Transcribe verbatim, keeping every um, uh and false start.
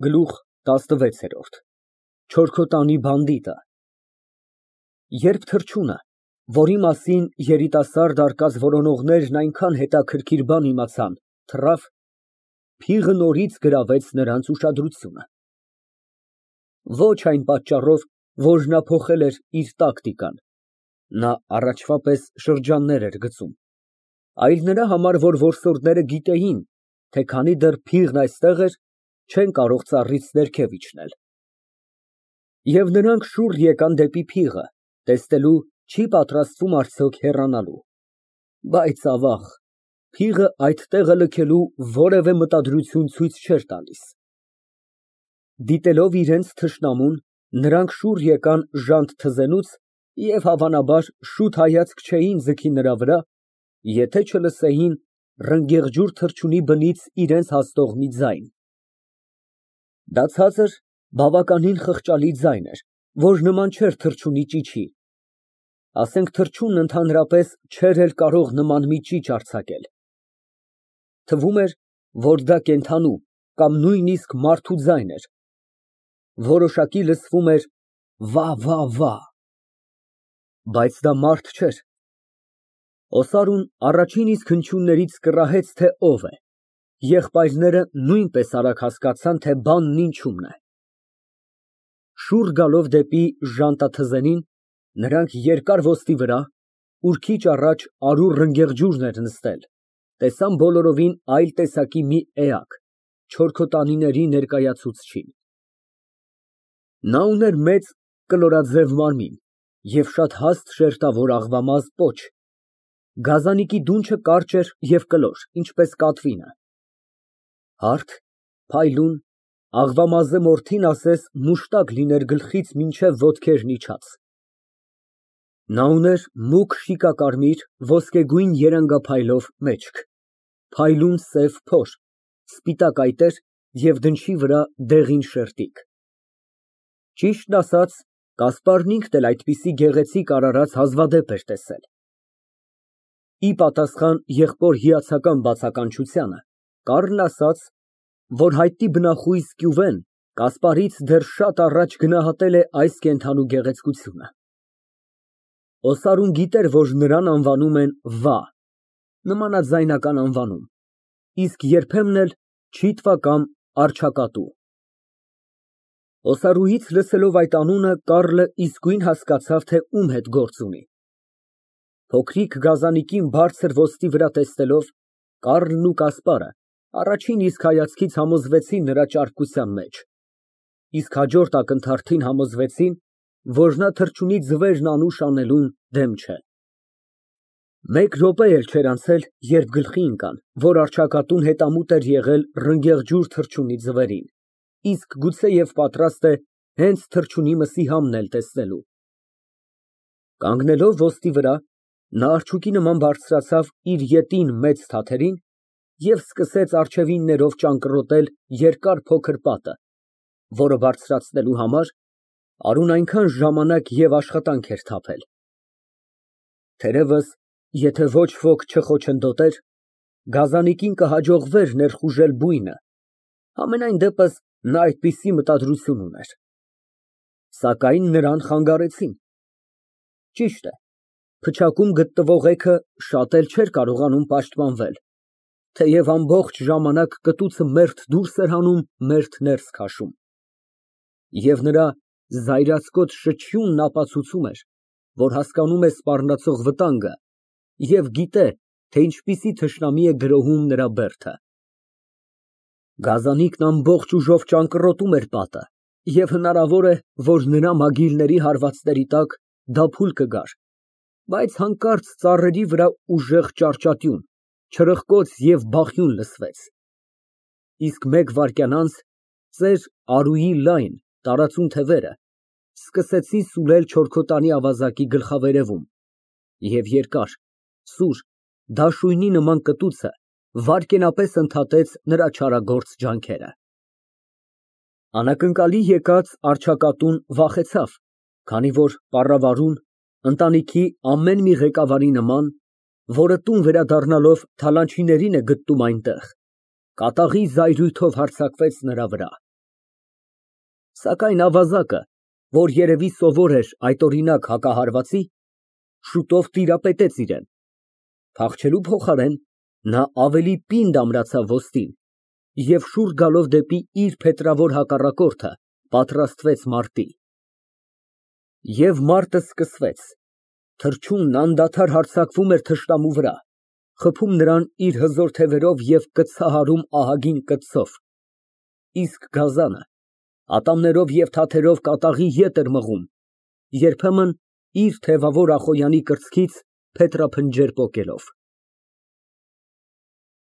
Գլուխ տասնվեց։ Չորքոտանի բանդիտը Երբ թռչունը, որի մասին երիտասարդ արկած որոնողներն այնքան հետաքրքիր բան իմացան, թռավ, փիղը նորից գրավեց նրանց ուշադրությունը։ Ոչ այն պատճառով, որ նա փոխել էր իր տակտիկան (նա առաջվա պես շրջաններ էր գծում), այլ նրա համար, որ որսորդները գիտեին, թե քանի դեռ փիղն այստեղ էր, չեն կարող ծառից ներքև իջնել։ Եվ նրանք շուռ եկան դեպի փիղը, տեսնելու չի պատրաստվում արդյոք հեռանալու, բայց, ավաղ, փիղը այդ տեղը լքելու որևէ մտադրություն ցույց չէր տալիս։ Դիտելով իրենց թշնամուն, նրանք շուռ եկան ժանտ թզենուց և, հավանաբար, շուտ հայացք չէին ձգի նրա վրա, եթե չլսեին ռնգեղջյուր թռչունի բնից իրենց հասնող մի ձայն։ Դա ցածր, բավականին խղճալի ձայն էր, որ նման չէր թռչունի ճիչի, ասենք թռչունն ընդհանրապես չէր էլ կարող նման մի ճիչ արձակել։ Թվում էր, որ դա կենդանու կամ նույնիսկ մարդու ձայն էր, որոշակի լսվում էր վա֊վա֊վա, բայց դա մարդ չէր։ Օսարուն առաջին իսկ հնչյուններից կռահեց, թե ով է, եղբայրները նույնպես արագ հասկացան, թե բանն ինչումն է։ Շուռ գալով դեպի ժանտաթզենին, նրանք երկար ոստի վրա, ուր քիչ առաջ արու ռնգեղջյուրն էր նստել, տեսան բոլորովին այլ տեսակի մի էակ, չորքոտանիների ներկայացուցչին։ Նա ուներ մեծ կլորաձև մարմին և շատ հաստ շերտավոր աղվամազ պոչ, գազանիկի դունչը կարճ էր և կլոր, ինչպես կատվինը։ Հարթ, փայլուն, աղվամազե մորթին ասես մուշտակ լիներ գլխից մինչև ոտքերն իջած։ Նա ուներ մուգ շիկակարմիր, ոսկեգույն երանգափայլով մեջք, փայլուն սև փոր, սպիտակ այտեր և դնչի վրա դեղին շերտիկ։ Ճիշտն ասած, Կասպարն ինքն էլ այդպիսի գեղեցիկ արարած հազվադեպ էր տեսել։ Ի պատասխան եղբոր հիացական բացականչությանը, կառլն ասաց, որ հայտնի բնախույզ Կյուվեն Կասպարից դեռ շատ առաջ գնահատել է այս կենդանու գեղեցկությունը։ Օսարուն գիտեր, որ նրան անվանում են վա, նմանաձայնական անվանում, իսկ երբեմն էլ չիտվա կամ արջակատու։ Օսարուից լսելով այդ անունը, Կառլը իսկույն հասկացավ, թե ում հետ գործ ունի։ Փոքրիկ գազանիկին բարձր ոստի վրա տեսնելով, Կառլն ու Կասպարը առաջին իսկ հայացքից համոզվեցին նրա ճարպկության մեջ, իսկ հաջորդ ակնթարթին համոզվեցին, որ նա թռչունի ձվերն անուշ անելուն դեմ չէ։ Մեկ րոպե էլ չէր անցել, երբ գլխի ընկան, որ արջակատուն հետամուտ էր եղել ռնգեղջյուր թռչունի ձվերին, իսկ գուցեև պատրաստ է հենց թռչունի մսի համն էլ տեսնելու։ Կանգնելով ոստի վրա, նա արջուկի նման բարձրացավ իր ետին մեծ թաթերին և սկսեց առջևիններով ճանկռոտել երկար փոքր պատը, որը բարձրացնելու համար արուն այնքան ժամանակ և աշխատանք էր թափել։ Թերևս, եթե ոչ ոք չխոչընդոտեր, գազանիկին կհաջողվեր ներխուժել բույնը, համենայն դեպս նա այդպիսի մտադրություն ուներ։ Սակայն նրան խանգարեցին։ Ճիշտ է, փչակում գտնվող էգը շատ էլ չէր կարողանում պաշտպանվել, թեև ամբողջ ժամանակ կտուցը մերթ դուրս էր հանում, մերթ ներս քաշում։ Եվ նրա զայրացկոտ շչյունն ապացուցում էր, որ հասկանում է սպառնացող վտանգը և գիտե, թե ինչպիսի թշնամի է գրոհում նրա բերդը։ Գազանիկն ամբողջ ուժով ճանկռոտում էր պատը, և հնարավոր է, որ նրա մագիլների հարվածների տակ դա փուլ կգար, բայց հանկարծ ծառերի վրա ուժեղ ճարճատյուն, չրպկոց և բախյուն լսվեց, իսկ մեկ վայրկյան անց ծեր արուի լայն, տարածուն թևերը սկսեցին սուլել չորքոտանի ավազակի գլխավերևում, և երկար, սուր, դաշույնի նման կտուցը վայրկենապես ընդհատեց նրա չարագործ ջանքերը։ Անակնկալի եկած արջակատուն վախեցավ, քանի որ պառավարուն, ընտանիքի ամեն մի ղեկավարի նման, որը տուն վերադառնալով թալանչիներին է գտնում այնտեղ, կատաղի զայրույթով հարձակվեց նրա վրա։ Սակայն ավազակը, որ երևի սովոր էր այդօրինակ հակահարվածի, շուտով տիրապետեց իրան։ Փախչելու փոխարեն, նա ավելի պինդ ամրացավ ոսկին և շուռ գալով դեպի իր փետրավոր հակառակորդը, պատրաստվեց մարտի։ Եվ մարտը սկսվեց, թռչունն անդադար հարձակվում էր թշնամու վրա, խփում նրան իր հզոր թևերով և կցահարում ահագին կծով, իսկ գազանը ատամներով և թաթերով կատաղի ետ էր մղում, երբեմն իր թևավոր Ախոյանի կրծքից փետրափնջեր պոկելով։